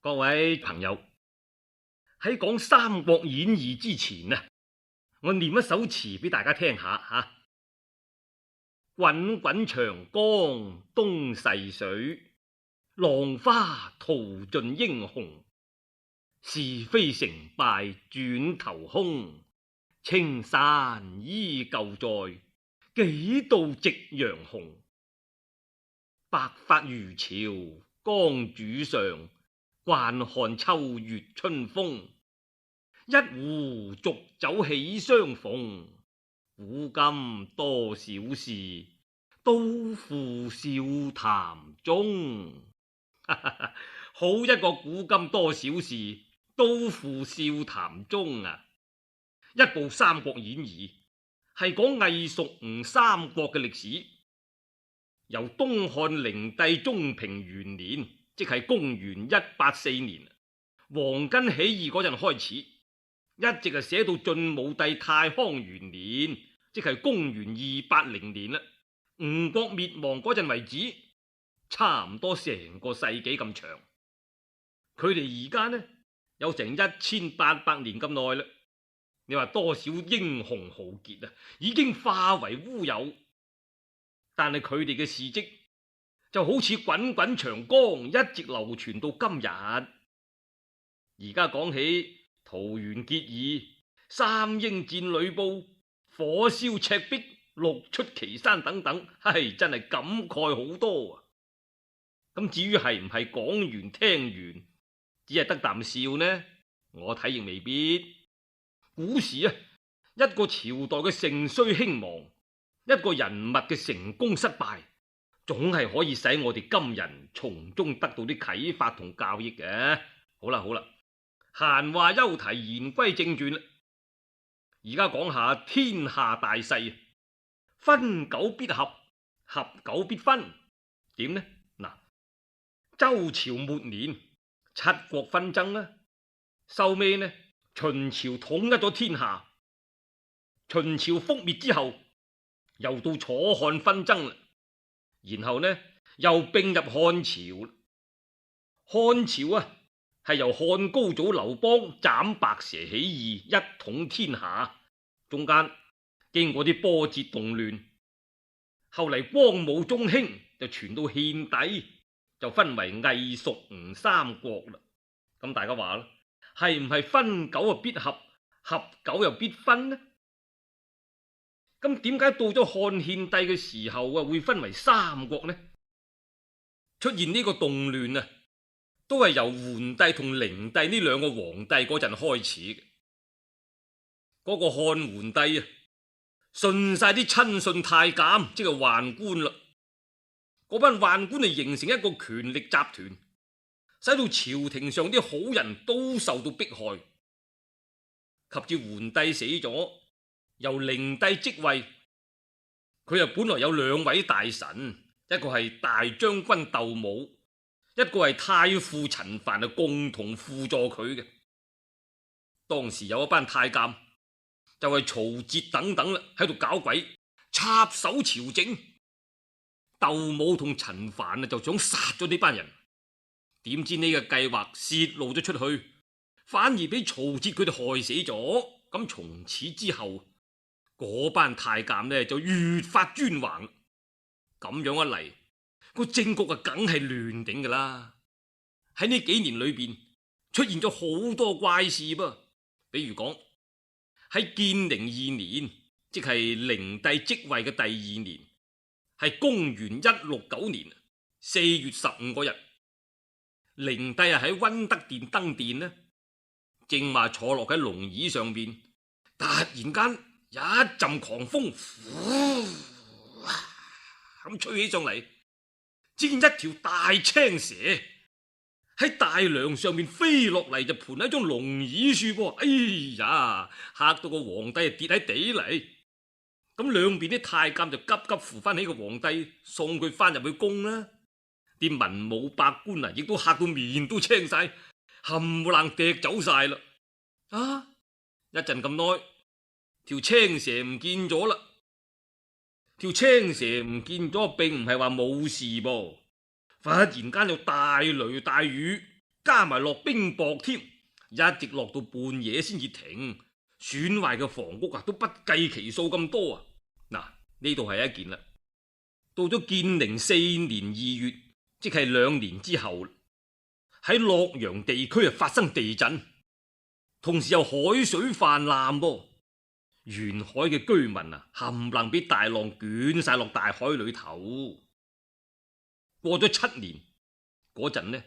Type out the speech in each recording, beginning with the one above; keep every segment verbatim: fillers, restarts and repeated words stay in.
各位朋友，喺講《三國演義》之前啊，我念一首詞俾大家聽下吓。滾滾長江東逝水，浪花淘盡英雄。是非成敗轉頭空，青山依舊在，幾度夕陽紅。白髮漁樵江渚上，慣看秋月春風。一壺濁酒喜相逢，古今多少事，都付笑談中。好一個古今多少事，都付笑談中啊！一部《三國演義》係講魏蜀吳三國嘅歷史，由東漢靈帝中平元年，即係公元一八四年，黃巾起義嗰陣開始，一直係寫到晉武帝太康元年，即係公元二八零年啦。吳國滅亡嗰陣為止，差唔多成個世紀咁長。佢哋而家呢有成一千八百年咁耐啦。你話多少英雄豪傑啊，已經化為烏有。但係佢哋嘅事跡就好似滾滾長江，一直流傳到今日。而家講起桃園結義、三英戰呂布、火燒赤壁、六出祁山等等，係真係感慨好多啊！咁至於係唔係講完聽完只係得啖笑呢？我睇亦未必。古時啊，一個朝代嘅盛衰興亡，一個人物嘅成功失敗，總係可以使我哋今人從中得到啲啟發同教益嘅。好啦好啦，閒話休提，言歸正傳啦。而家講下天下大勢，分久必合，合久必分。點呢？嗱，周朝末年，七國紛爭啦，收尾呢，秦朝統一咗天下。秦朝覆滅之後，又到楚漢紛爭啦，然後呢又併入漢朝。漢朝啊，係由漢高祖劉邦斬白蛇起義，一統天下。中間經過啲波折動亂，後嚟光武中興就傳到獻帝，就分為魏蜀吳三國啦。咁大家話啦，係唔係分久啊必合，合久又必分呢？咁點解到咗漢獻帝嘅時候啊，會分為三國呢？出現呢個動亂啊，都係由桓帝同靈帝呢兩個皇帝嗰陣開始嘅。嗰個漢桓帝啊，順晒啲親信太監，即係宦官啦。嗰班宦官就形成一個權力集團，使到朝廷上啲好人都受到迫害。及至桓帝死咗，由靈帝即位。佢又本來有兩位大臣，一個係大將軍竇武，一個係太傅陳蕃，啊，共同輔助佢嘅。當時有一班太監，就係曹節等等啦，喺度搞鬼，插手朝政。竇武同陳蕃啊，就想殺咗呢班人。點知呢個計劃洩露咗出去，反而俾曹節佢哋害死咗。咁從此之後，嗰班太監呢就越發專橫。咁樣一嚟，個政局啊梗係亂頂噶啦。喺呢幾年裏邊出現咗好多怪事噃，比如講喺建寧二年，即係靈帝即位嘅第二年，係公元一六九年四月十五嗰日，靈帝啊喺溫德殿登殿呢，正話坐落喺龍椅上邊，突然間一陣狂風，咁吹起上嚟，只見一條大青蛇喺大梁上面飛落嚟，就盤喺張龍椅樹噃。哎呀，嚇到個皇帝啊跌喺地嚟。咁兩邊啲太監就急急扶翻起個皇帝，送佢翻入去宮啦。啲文武百官啊，亦都嚇到面都青晒，冚唪唥趯走晒啦。啊，一陣咁耐，條青蛇唔見咗啦。條青蛇唔見咗，並唔係話冇事噃。忽然間有大雷大雨，加埋落冰雹添，一直落到半夜先至停，損壞嘅房屋啊都不計其數咁多啊！嗱，呢度係一件啦。到咗建寧四年二月，即係兩年之後，喺洛陽地區啊發生地震，同時又海水泛濫噃，沿海嘅居民啊冚唪唥俾大浪捲晒落大海裏頭。過咗七年嗰陣呢，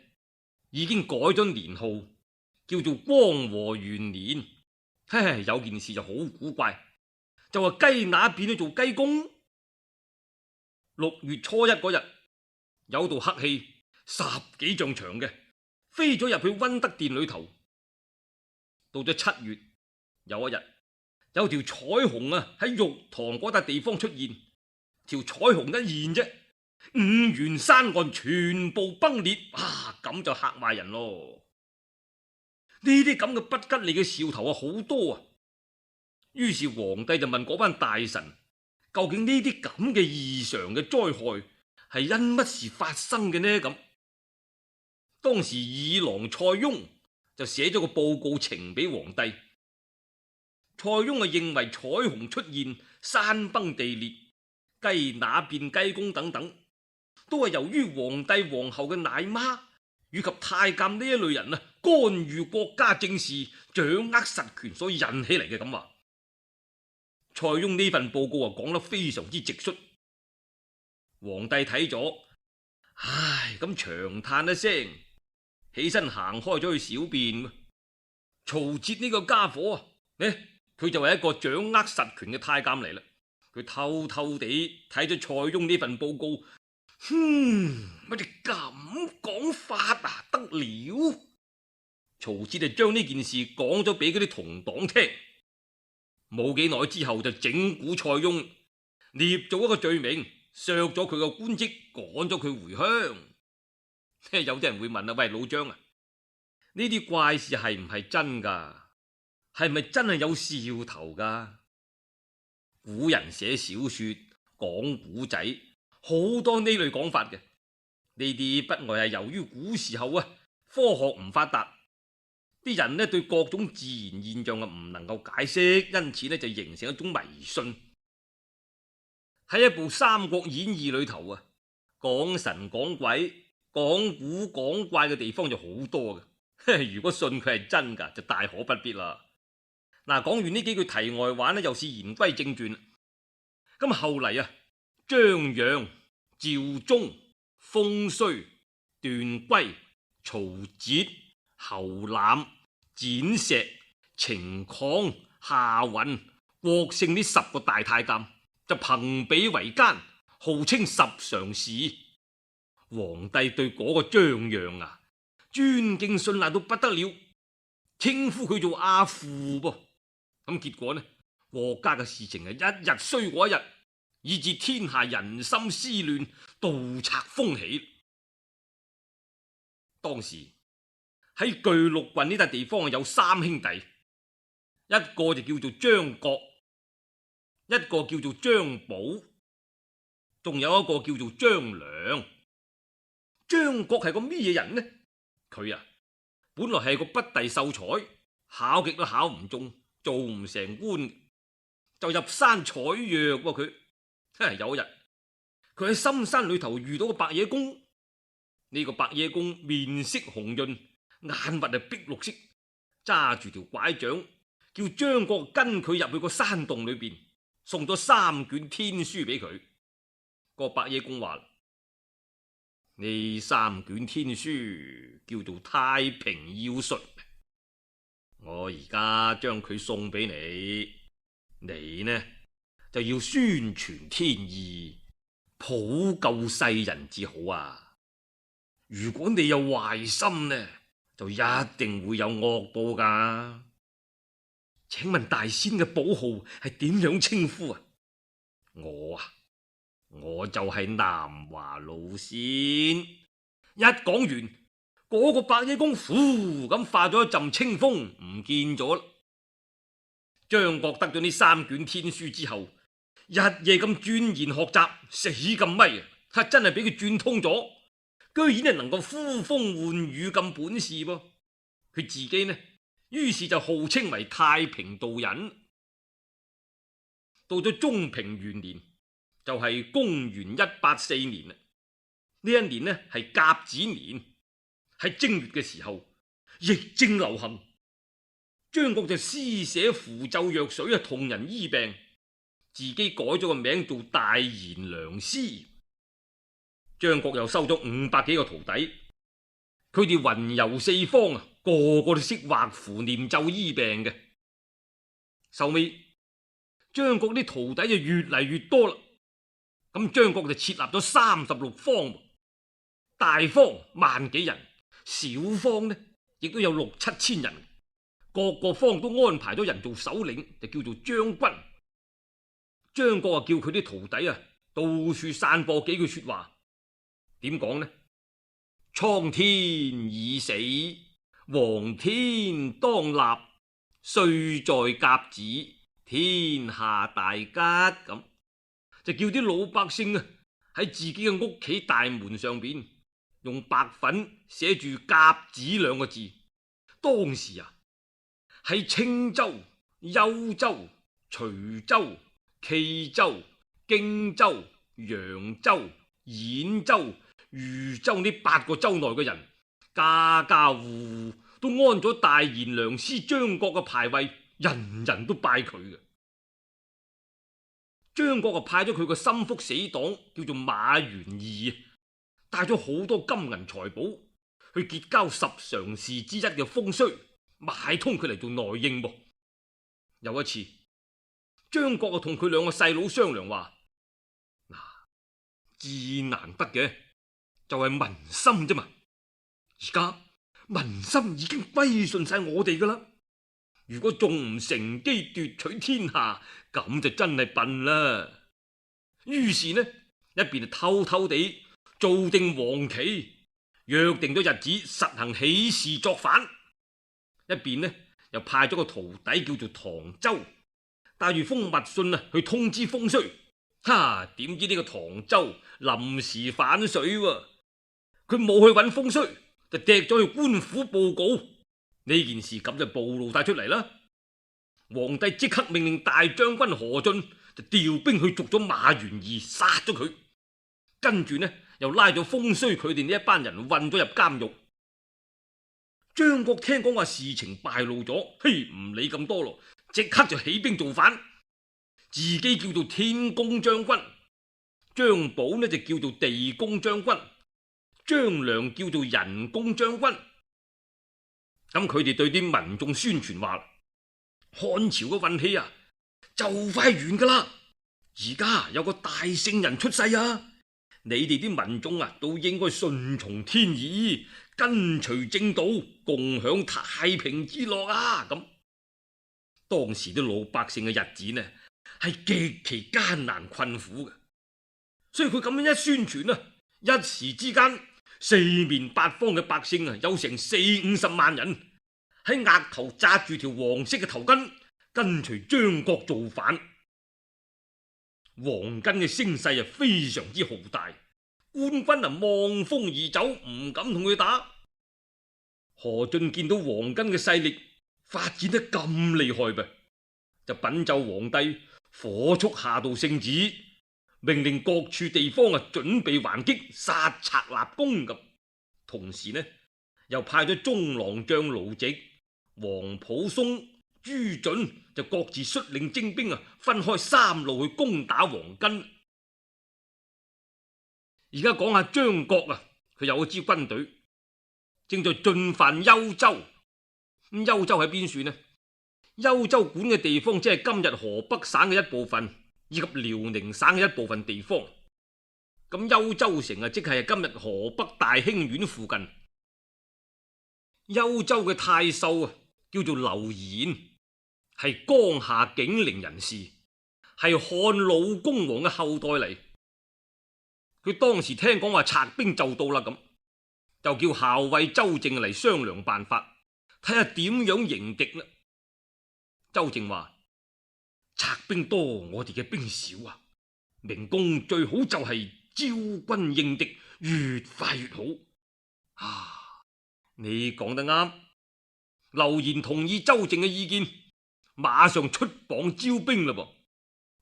已經改咗年號，叫做光和元年。嘿，有件事就好古怪，就話雞乸變咗做雞公。六月初一嗰日，有道黑氣十幾丈長嘅，飛咗入去溫德殿裏頭。到咗七月，有一日，有條彩虹啊喺玉堂嗰笪地方出現，條彩虹一現啫，五原山岸全部崩裂，啊咁就嚇壞人咯。呢啲咁嘅不吉利嘅兆頭啊好多啊，於是皇帝就問嗰班大臣，究竟呢啲咁嘅異常嘅災害係因乜事發生嘅呢？咁當時二郎蔡邕就寫咗個報告呈俾皇帝。蔡邕啊認為彩虹出現、山崩地裂、雞乸變雞公等等，都係由於皇帝皇后嘅奶媽以及太監呢一類人啊干預國家政事、掌握實權所引起嚟嘅。咁話蔡邕呢份報告啊講得非常之直率，皇帝睇咗，唉，咁長嘆一聲，起身行開咗去小便。曹節呢個家伙啊，呢佢就係一個掌握實權嘅太監嚟啦。佢偷偷地睇咗蔡邕呢份報告，哼，乜你咁講法啊？得了！曹節就將呢件事講咗俾嗰啲同黨聽。冇幾耐之後就整蠱蔡邕，捏咗一個罪名，削咗佢個官職，趕咗佢回鄉。有啲人會問啊，喂，老張啊，呢啲怪事係唔係真噶？係咪真係有兆頭噶？古人寫小說講古仔，好多呢類講法嘅。呢啲不外係由於古時候啊，科學唔發達，啲人呢對各種自然現象啊唔能夠解釋，因此呢就形成一種迷信。喺一部《三國演義》裏頭啊，講神講鬼、講古講怪嘅地方就好多嘅。如果信佢係真噶，就大可不必啦。嗱，講完呢幾句題外話呢，又是言歸正傳。咁後嚟啊，張楊、趙忠、封胥、段珪、曹節、侯覽、蹇碩、程曠、夏允、郭勝呢十個大太監就朋比為奸，號稱十常侍。皇帝對嗰個張楊啊尊敬信賴到不得了，稱呼佢做阿父噃。咁結果呢，國家嘅事情係一日衰過一日，以致天下人心思亂，盜賊蜂起。當時喺巨鹿郡呢笪地方有三兄弟，一個就叫做張角，一個叫做張寶，仲有一個叫做張良。張角係個咩嘢人呢？佢啊本來係個不第秀才，考極都考唔中，做唔成官，就入山採藥喎。佢有一日，佢喺深山裏頭遇到個白野公。呢個白野公面色紅潤，眼核係碧綠色，揸住條拐杖，叫張角跟佢入去個山洞裏邊，送咗三卷天書俾佢。個白野公話：呢三卷天書叫做《太平要術》，我而家將佢送俾你，你呢就要宣傳天意，普救世人至好啊！如果你有壞心呢，就一定會有惡報噶。請問大仙嘅寶號係點樣稱呼啊？我啊，我就係南華老仙。一講完，嗰、那個白野公呼咁化咗一陣清風，唔見咗啦。張角得咗呢三卷天書之後，日夜咁鑽研學習，死咁咪啊！真係俾佢轉通咗。居然係能夠呼風喚雨咁本事噃。佢自己呢，於是就號稱為太平道人。到咗中平元年，就係、是、公元一八四年啦。呢一年呢係甲子年，喺正月嘅時候，疫症流行，張國就施寫符咒藥水啊，同人醫病，自己改咗個名做大賢良師。張國又收咗五百幾個徒弟，佢哋雲遊四方啊，個個都識畫符念咒醫病嘅。後尾張國啲徒弟就越嚟越多啦，咁張國就設立咗三十六方，大方萬幾人，小方呢亦都有六七千人，各個方都安排咗人做首領，就叫做將軍。張國啊叫佢啲徒弟啊到處散播幾句說話。點講呢？蒼天已死，黃天當立，歲在甲子，天下大吉。咁就叫啲老百姓啊喺自己嘅屋企大門上邊用白粉寫住甲子兩個字。當時啊喺青州、幽州、徐州、冀州、荊州、揚州、兗州、豫州呢八個州內嘅人，家家戶戶都安咗大賢良師張國嘅牌位，人人都拜佢嘅。張國啊派咗佢個心腹死黨叫做馬元義，帶咗好多金銀財寶去結交十常侍之一嘅風須，買通佢嚟做內應噃。有一次，張國啊同佢兩個細佬商量話：嗱，至難得嘅就係民心啫嘛，而家民心已經歸順晒我哋噶啦，如果仲唔乘機奪取天下，咁就真係笨啦。於是呢，一邊偷偷地做定黃旗，約定咗日子實行起事作反；一邊呢又派咗個徒弟叫做唐周，帶住封密信啊去通知風須。哈！點知呢個唐周臨時反水喎，佢冇去揾風須，就趯咗去官府報告。呢件事咁就暴露晒出嚟啦。皇帝即刻命令大將軍何進就調兵去捉咗馬元義，殺咗佢。跟住呢又拉咗風須佢哋呢一班人混咗入監獄。張國聽講話事情敗露咗，嘿，唔理咁多咯，即刻就起兵造反。自己叫做天公將軍，張寶呢就叫做地公將軍，張良叫做人公將軍。咁佢哋對啲民眾宣傳話：漢朝嘅運氣啊，就快完噶啦！而家有個大聖人出世啊，你哋啲民眾啊，都應該順從天意，跟隨正道，共享太平之樂啊！咁當時啲老百姓嘅日子呢，係極其艱難困苦嘅，所以佢咁樣一宣傳啊，一時之間四面八方嘅百姓啊，有成四五十萬人喺額頭紮住條黃色嘅頭巾，跟隨張國造反。黃巾嘅聲勢啊，非常之浩大，官軍啊望風而走，唔敢同佢打。何進見到黃巾嘅勢力發展得咁厲害噃，就稟奏皇帝，火速下道聖旨，命令各處地方啊準備還擊，殺賊立功咁。同時呢，又派咗中郎將盧植、皇甫嵩、朱准就各自率領精兵啊，分開三路去攻打黃巾。而家講下張國啊，佢有一支軍隊正在進犯幽州。咁幽州喺邊處呢？幽州管嘅地方即係今日河北省嘅一部分，以及遼寧省嘅一部分地方。咁幽州城啊，即係今日河北大興縣附近。幽州嘅太守啊，叫做劉延，係江夏景陵人士，係漢老公王嘅後代嚟。佢當時聽講話賊兵就到啦，咁就叫校尉周靖嚟商量辦法，睇下點樣迎敵啦。周靖話：賊兵多，我哋嘅兵少啊，明公最好就係招軍應敵，越快越好。啊，你講得啱，劉賢同意周靖嘅意見，馬上出榜招兵啦噃。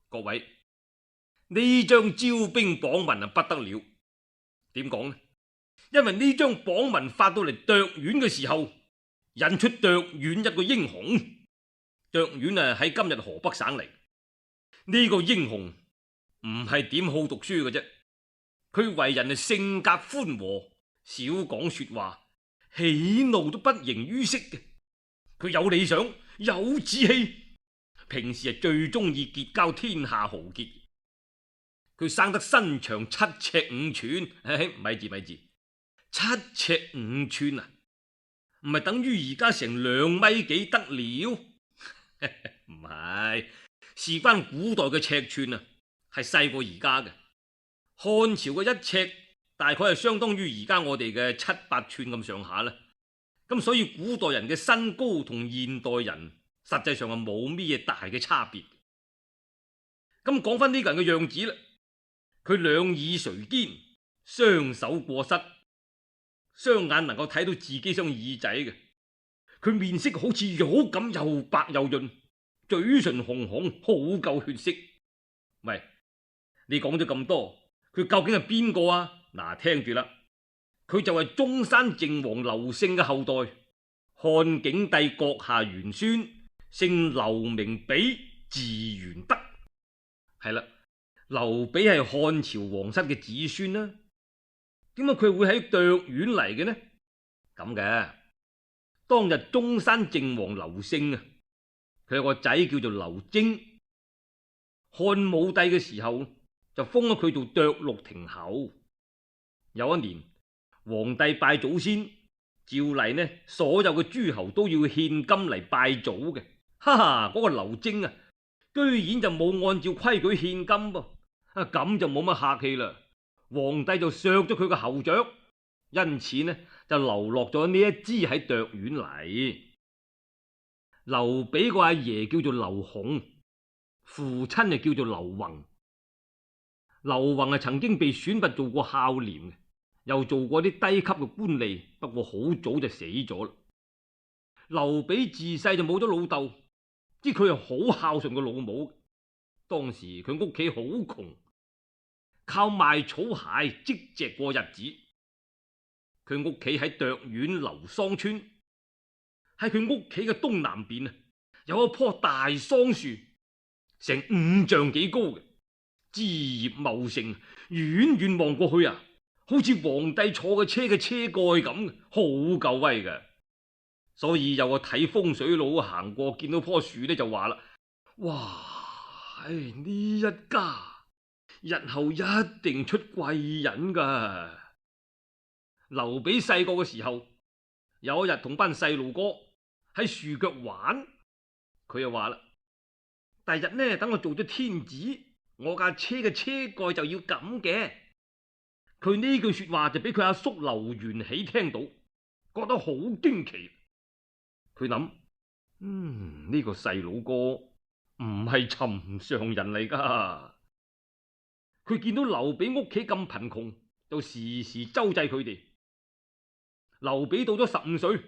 各位，呢張招兵榜文啊不得了，點講呢？因為呢張榜文發到嚟涿縣嘅時候，引出涿縣一個英雄。涿縣啊喺今日河北省嚟，呢個英雄唔係點好讀書嘅啫，佢為人係性格寬和，少講說話，喜怒都不形於色嘅。佢有理想，有志氣，平時係最中意結交天下豪傑。佢生得身長七尺五寸，唉，咪住咪住，七尺五寸啊，唔係等於而家成兩米幾得了？唔係，事關古代嘅尺寸啊，係細過而家嘅。漢朝嘅一尺大概係相當於而家我哋嘅七八寸咁上下啦。咁所以古代人嘅身高同現代人實際上係冇咩大嘅差別。咁講翻呢個人嘅樣子啦，佢兩耳垂肩，雙手過膝，雙眼能夠睇到自己雙耳仔嘅。佢面色好似玉咁，又白又潤，嘴唇紅紅，好夠血色。喂，你講咗咁多，佢究竟係邊個啊？嗱，聽住啦。佢就係中山靖王劉勝嘅後代，漢景帝閣下玄孫，姓劉名比，字玄德。係啦，劉比係漢朝皇室嘅子孫啦。點解佢會喺涿縣嚟嘅呢？咁嘅，當日中山靖王劉勝啊，佢有個仔叫做劉貞，漢武帝嘅時候就封咗佢做涿鹿亭侯。有一年，皇帝拜祖先，照例呢，所有嘅諸侯都要獻金嚟拜祖嘅。哈哈，嗰、那個劉貞啊，居然就冇按照規矩獻金噃，啊咁就冇乜客氣啦。皇帝就削咗佢個侯爵，因此呢就流落咗呢一支喺涿縣嚟。劉比個阿爺叫做劉洪，父親就叫做劉宏。劉宏係曾經被選拔做過孝廉嘅，又做過啲低級嘅官吏，不過好早就死咗啦。劉比自細就冇咗老豆，知佢係好孝順個老母。當時佢屋企好窮，靠賣草鞋積蓆過日子。佢屋企喺涿縣劉桑村，喺佢屋企嘅東南邊啊，有一棵大桑樹，成五丈幾高嘅，枝葉茂盛，遠遠望過去啊，好似皇帝坐嘅車嘅車蓋咁，好夠威嘅。所以有個睇風水佬行過，見到棵樹呢，就話啦：哇，唉，呢一家日後一定出貴人噶。劉比細個嘅時候，有一日同班細路哥喺樹腳玩，佢又話啦：第日呢，等我做咗天子，我架車嘅車蓋就要咁嘅。佢呢句說話就俾佢阿叔劉元喜聽到，覺得好驚奇。佢諗：嗯，呢個細佬哥唔係尋常人嚟噶。佢見到劉比屋企咁貧窮，就時時周濟佢哋。劉比到咗十五歲，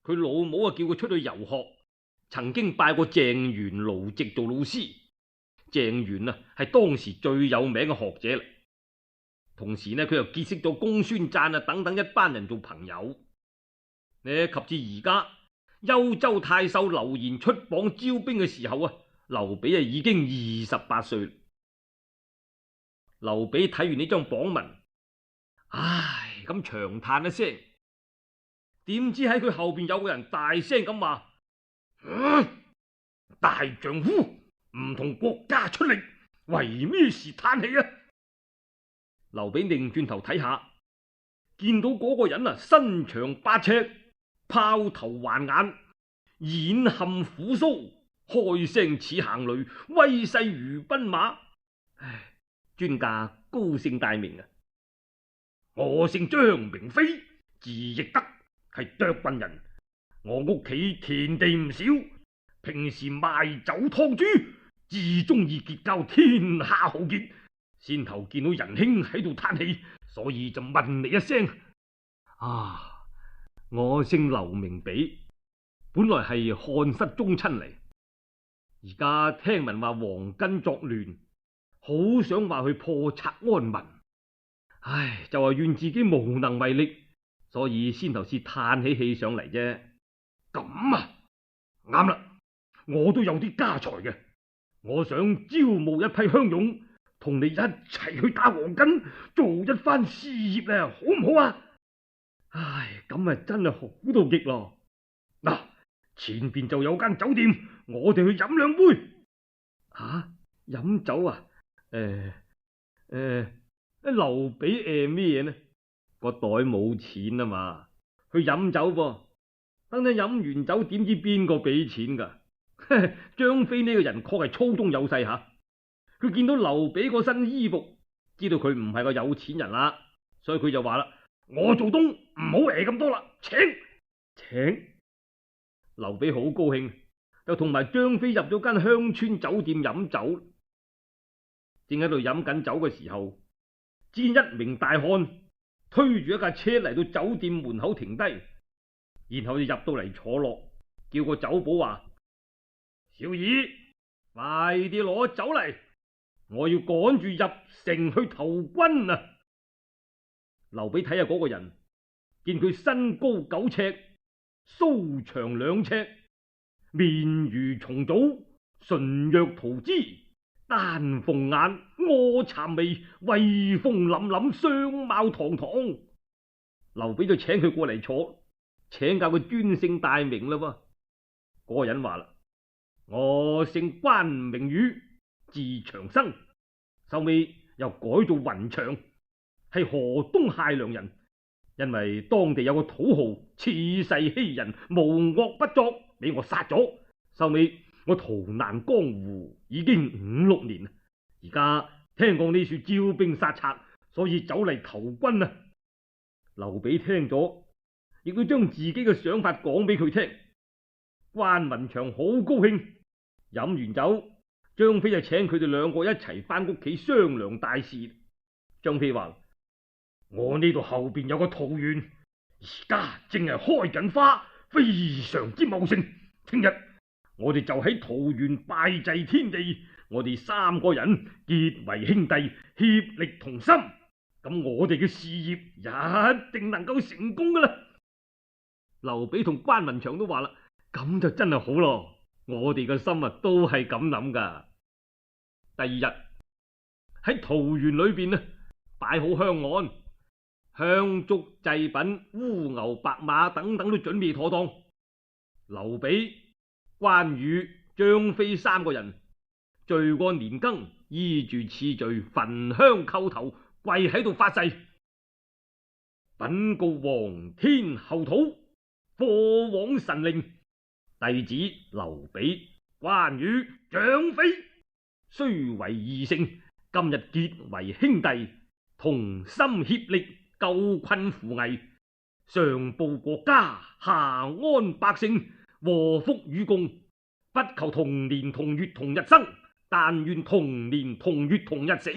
佢老母啊叫佢出去遊學，曾經拜過鄭玄盧植做老師。鄭玄啊係當時最有名嘅學者啦。同時呢，佢又結識咗公孫瓚啊等等一班人做朋友。呢及至而家幽州太守劉賢出榜招兵嘅時候啊，劉比啊已經二十八歲。劉比睇完呢張榜文，唉，咁長嘆一聲。點知喺佢後邊有個人大聲咁話：啊，大丈夫唔同國家出力，為咩事嘆氣啊？劉比擰轉頭睇下，見到嗰個人啊，身長八尺，豹頭環眼，眼含虎鬚，開聲似行雷，威勢如奔馬。唉，尊駕高姓大名啊？我姓張，名飛，字翼德，係涿郡人。我屋企田地唔少，平時賣酒劏豬，至中意結交天下豪傑。先頭見到仁兄喺度嘆氣，所以就問你一聲。啊，我姓劉名比，本來係漢室宗親嚟，而家聽聞話黃巾作亂，好想話去破賊安民。唉，就話怨自己無能為力，所以先頭先嘆起氣上嚟啫。咁啊，啱啦，我都有啲家財嘅，我想招募一批鄉勇，同你一齊去打黃巾，做一番事業咧，好唔好啊？唉，咁啊真係好到極咯。嗱，前邊就有間酒店，我哋去飲兩杯。吓，飲酒啊？誒誒，劉備誒咩嘢呢？個袋冇錢啊嘛，去飲酒噃。等等飲完酒，點知邊個俾錢噶？張飛呢個人確係粗中有細吓，佢見到劉備嗰身衣服，知道佢唔係個有錢人啦，所以佢就話啦：我做東唔好誒咁多啦，請請。劉備好高興，就同埋張飛入咗間鄉村酒店飲酒。正喺度飲緊酒嘅時候，只見一名大漢推住一架車嚟到酒店門口停低，然後就入到嚟坐落，叫個酒保話：小二，快啲攞酒嚟，我要趕住入城去投軍啊！劉備睇下嗰個人，見佢身高九尺，鬚長兩尺，面如重棗，唇若塗脂，丹鳳眼，臥蠶眉，威風凜凜，相貌堂堂。劉備就請佢過嚟坐，請教佢尊姓大名啦。嗰、那個人話啦：我姓關，名羽，字長生，後尾又改做雲長，係河東解良人。因為當地有個土豪恃勢欺人，無惡不作，俾我殺咗。後尾我逃難江湖已經五六年，而家聽講呢處招兵殺賊，所以走嚟投軍啊！劉備聽咗，亦都將自己嘅想法講俾佢聽。關雲長好高興，飲完酒，張飛就請佢哋兩個一齊翻屋企商量大事。張飛話：我呢度後邊有個桃園，而家正係開緊花，非常之茂盛。聽日我哋就喺桃園拜祭天地，我哋三個人結為兄弟，協力同心，咁我哋嘅事業一定能夠成功噶啦。劉備同關雲長都話啦：咁就真係好咯，我哋嘅心啊都係咁諗噶。第二日喺桃園裏邊呢，擺好香案，香燭祭品、烏牛白馬等等都準備妥當。劉備、關羽、張飛三個人聚過年羹，依住次序焚香叩頭，跪喺度發誓：稟告皇天后土，過往神靈，弟子劉備、關羽、張飛雖為異姓，今日結為兄弟，同心協力，救困扶危，上報國家，下安百姓，禍福與共，不求同年同月同日生，但願同年同月同日死。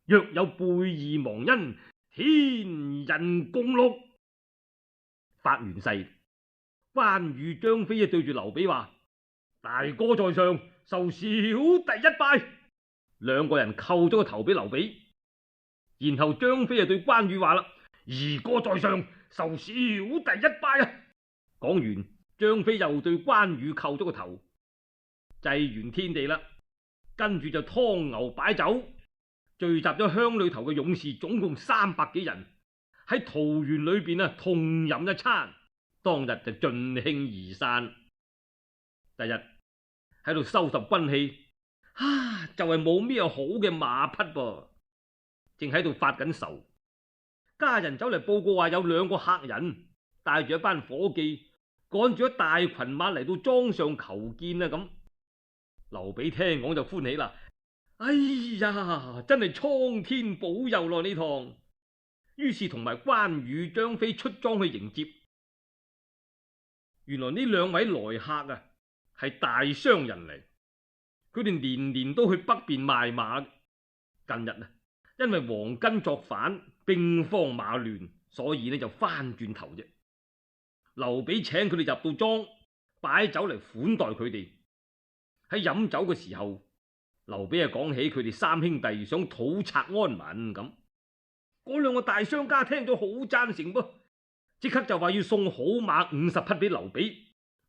若有背義忘恩，天人共戮。發完誓，關羽、張飛啊對住劉備話：大哥在上，受小弟一拜。兩個人叩咗個頭俾劉備。然後張飛就對關羽話啦：二哥在上，受小弟一拜啊！講完，張飛又對關羽叩咗個頭。祭完天地啦，跟住就湯牛擺酒，聚集咗鄉裏頭嘅勇士，總共三百幾人喺桃園裏邊啊，同飲一餐。當日就盡興而散。第日喺度收拾軍器，啊，就係冇咩好嘅馬匹噃。正喺度發緊愁，家人走嚟報告話有兩個客人帶住一班伙計趕住一大群馬嚟到莊上求見啊！咁劉備聽講就歡喜啦，哎呀，真係蒼天保佑咯呢趟。於是同埋關羽、張飛出莊去迎接。原來呢兩位來客啊係大商人嚟，佢哋年年都去北邊賣馬。近日啊，因為黃巾作反，兵荒馬亂，所以呢就翻轉頭啫。劉備請佢哋入到莊，擺酒嚟款待佢哋。喺飲酒嘅時候，劉備啊講起佢哋三兄弟想討賊安民咁，嗰兩個大商家聽咗好贊成噃，即刻就話要送好馬五十匹俾劉備，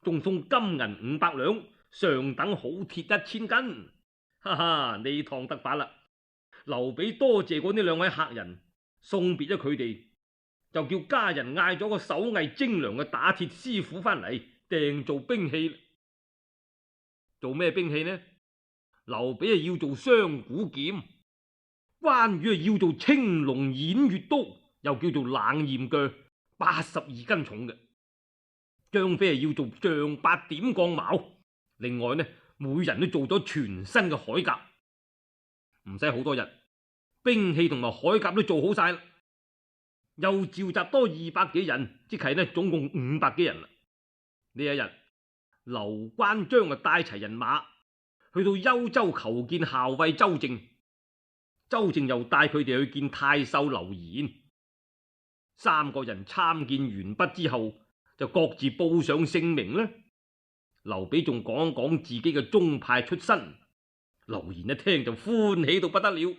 仲送金銀五百兩，上等好鐵一千斤。哈哈，呢趟得法啦！劉備多謝過呢兩位客人，送別咗佢哋，就叫家人嗌咗個手藝精良嘅打鐵師傅翻嚟訂做兵器。做咩兵器呢？劉備啊要做雙股劍，關羽啊要做青龍偃月刀，又叫做冷艷鋸，八十二斤重嘅。張飛啊要做丈八點鋼矛，另外呢，每人都做咗全新嘅鎧甲。唔使好多日，兵器同埋鎧甲都做好晒啦。又召集多二百幾人，即係呢總共五百幾人啦。呢一日，劉關張啊帶齊人馬去到幽州求見校尉周正，周正又帶佢哋去見太守劉延。三個人參見完畢之後，就各自報上姓名啦。劉備仲講講自己嘅宗派出身，劉延一聽就歡喜到不得了，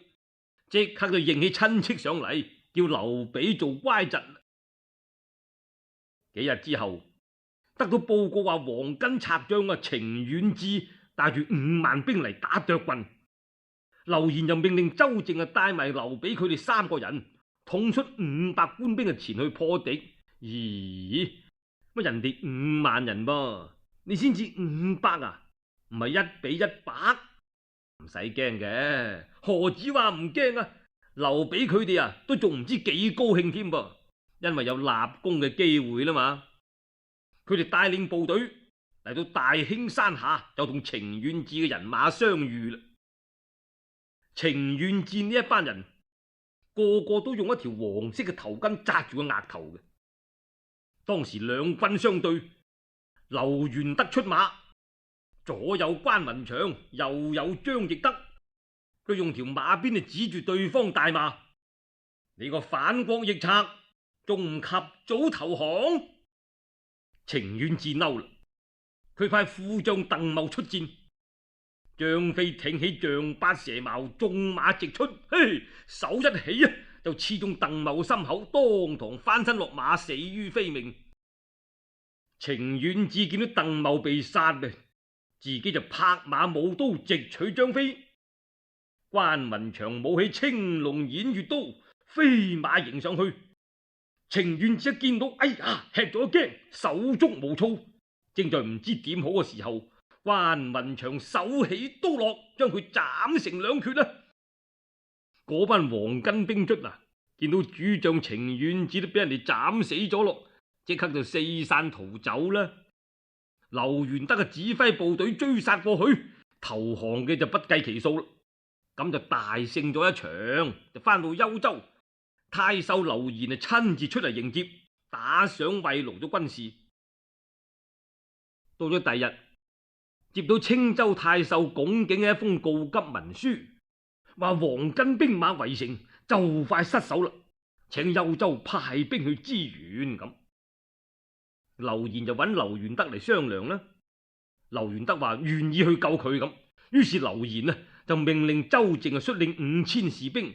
即刻就認起親戚上嚟，叫劉備做乖侄。幾日之後，得到報告話黃巾賊將啊程遠志帶住五萬兵嚟打涿郡，劉延又命令周正啊帶埋劉備佢哋三個人，統出五百官兵啊前去破敵。咦，乜人哋五萬人噃，你先至五百啊？唔係一比一百？唔使驚嘅，何止話唔驚啊？劉備佢哋啊都仲唔知幾高興添噃，因為有立功嘅機會啦嘛。佢哋帶領部隊嚟到大興山下，就同程遠志嘅人馬相遇啦。程遠志呢一班人個個都用一條黃色嘅頭巾紮住個額頭嘅。當時兩軍相對，劉元德出馬，左有關雲長，右有張翼德。佢用條馬鞭嚟指住對方大罵：你個反國逆賊，仲唔及早投降？程遠志嬲啦，佢派副將鄧茂出戰。張飛挺起丈八蛇矛，縱馬直出，嘿，手一起啊，就刺中鄧茂心口，當堂翻身落馬，死於非命。程遠志見到鄧茂被殺嘅，自己就拍馬舞刀直取張飛。關雲長舞起青龍偃月刀，飛馬迎上去。程遠志一見到，哎呀，吃咗一驚，手足無措，正在唔知點好嘅時候，關雲長手起刀落，將佢斬成兩決啦。嗰班黃巾兵卒啊，見到主將程遠志都俾人哋斬死咗咯，即刻就四散逃走啦。劉元德嘅指揮部隊追殺過去，投降嘅就不計其數啦。咁就大勝咗一場，就翻到幽州。太守劉延啊親自出嚟迎接，打賞慰勞咗軍士。到咗第日，接到青州太守龔景嘅一封告急文書，話黃巾兵馬圍城，就快失守啦，請幽州派兵去支援。咁劉延就揾劉元德嚟商量啦。劉元德話願意去救佢咁，於是劉延啊就命令周正啊率領五千士兵，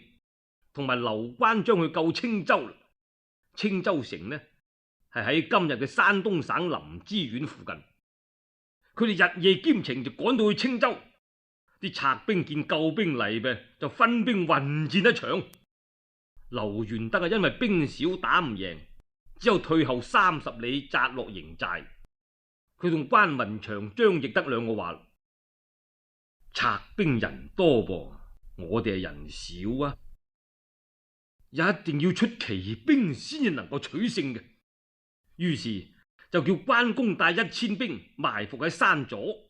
同埋劉關張去救青州。青州城呢係喺今日嘅山東省臨淄縣附近。佢哋日夜兼程就趕到去青州。啲賊兵見救兵嚟嘅，就分兵混戰一場。劉元德啊因為兵少打唔贏，只有退後三十里紮落營寨。佢同關雲長、張翼德兩個話：賊兵人多噃，我哋係人少啊，一定要出奇兵先至能夠取勝嘅。於是就叫關公帶一千兵埋伏喺山左，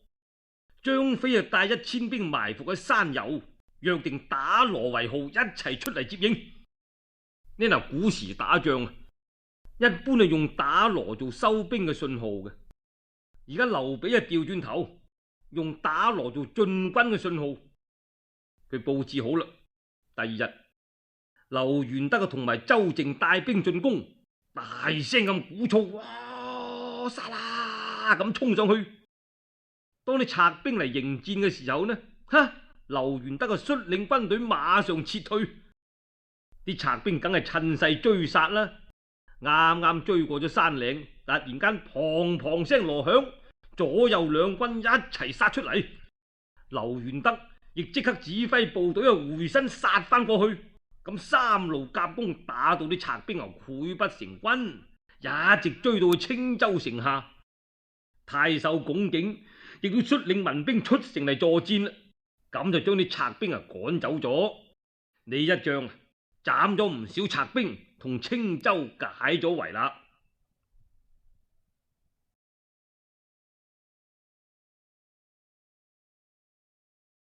張飛啊帶一千兵埋伏喺山右，約定打鑼為號，一齊出嚟接應。呢嗱，古時打仗啊，一般係用打鑼做收兵嘅信號嘅。而家劉備啊調轉頭，用打鑼做進軍嘅信號。佢布置好啦。第二日，劉元德啊同埋周靖帶兵進攻，大聲咁鼓噪，哇！殺啦！咁衝上去。當啲賊兵嚟迎戰嘅時候呢，哈！劉元德啊率領軍隊馬上撤退，啲賊兵梗係趁勢追殺啦。啱啱追過咗山嶺，突然間砰砰聲鑼響，左右兩軍一齊殺出嚟。劉元德亦即刻指揮部隊啊回身殺翻過去。咁三路夾攻，打到啲賊兵啊潰不成軍，一直追到去青州城下。太守龔景亦都率領民兵出城嚟助戰啦，咁就將啲賊兵啊趕走咗。呢一仗斬咗唔少賊兵，同青州解咗圍啦。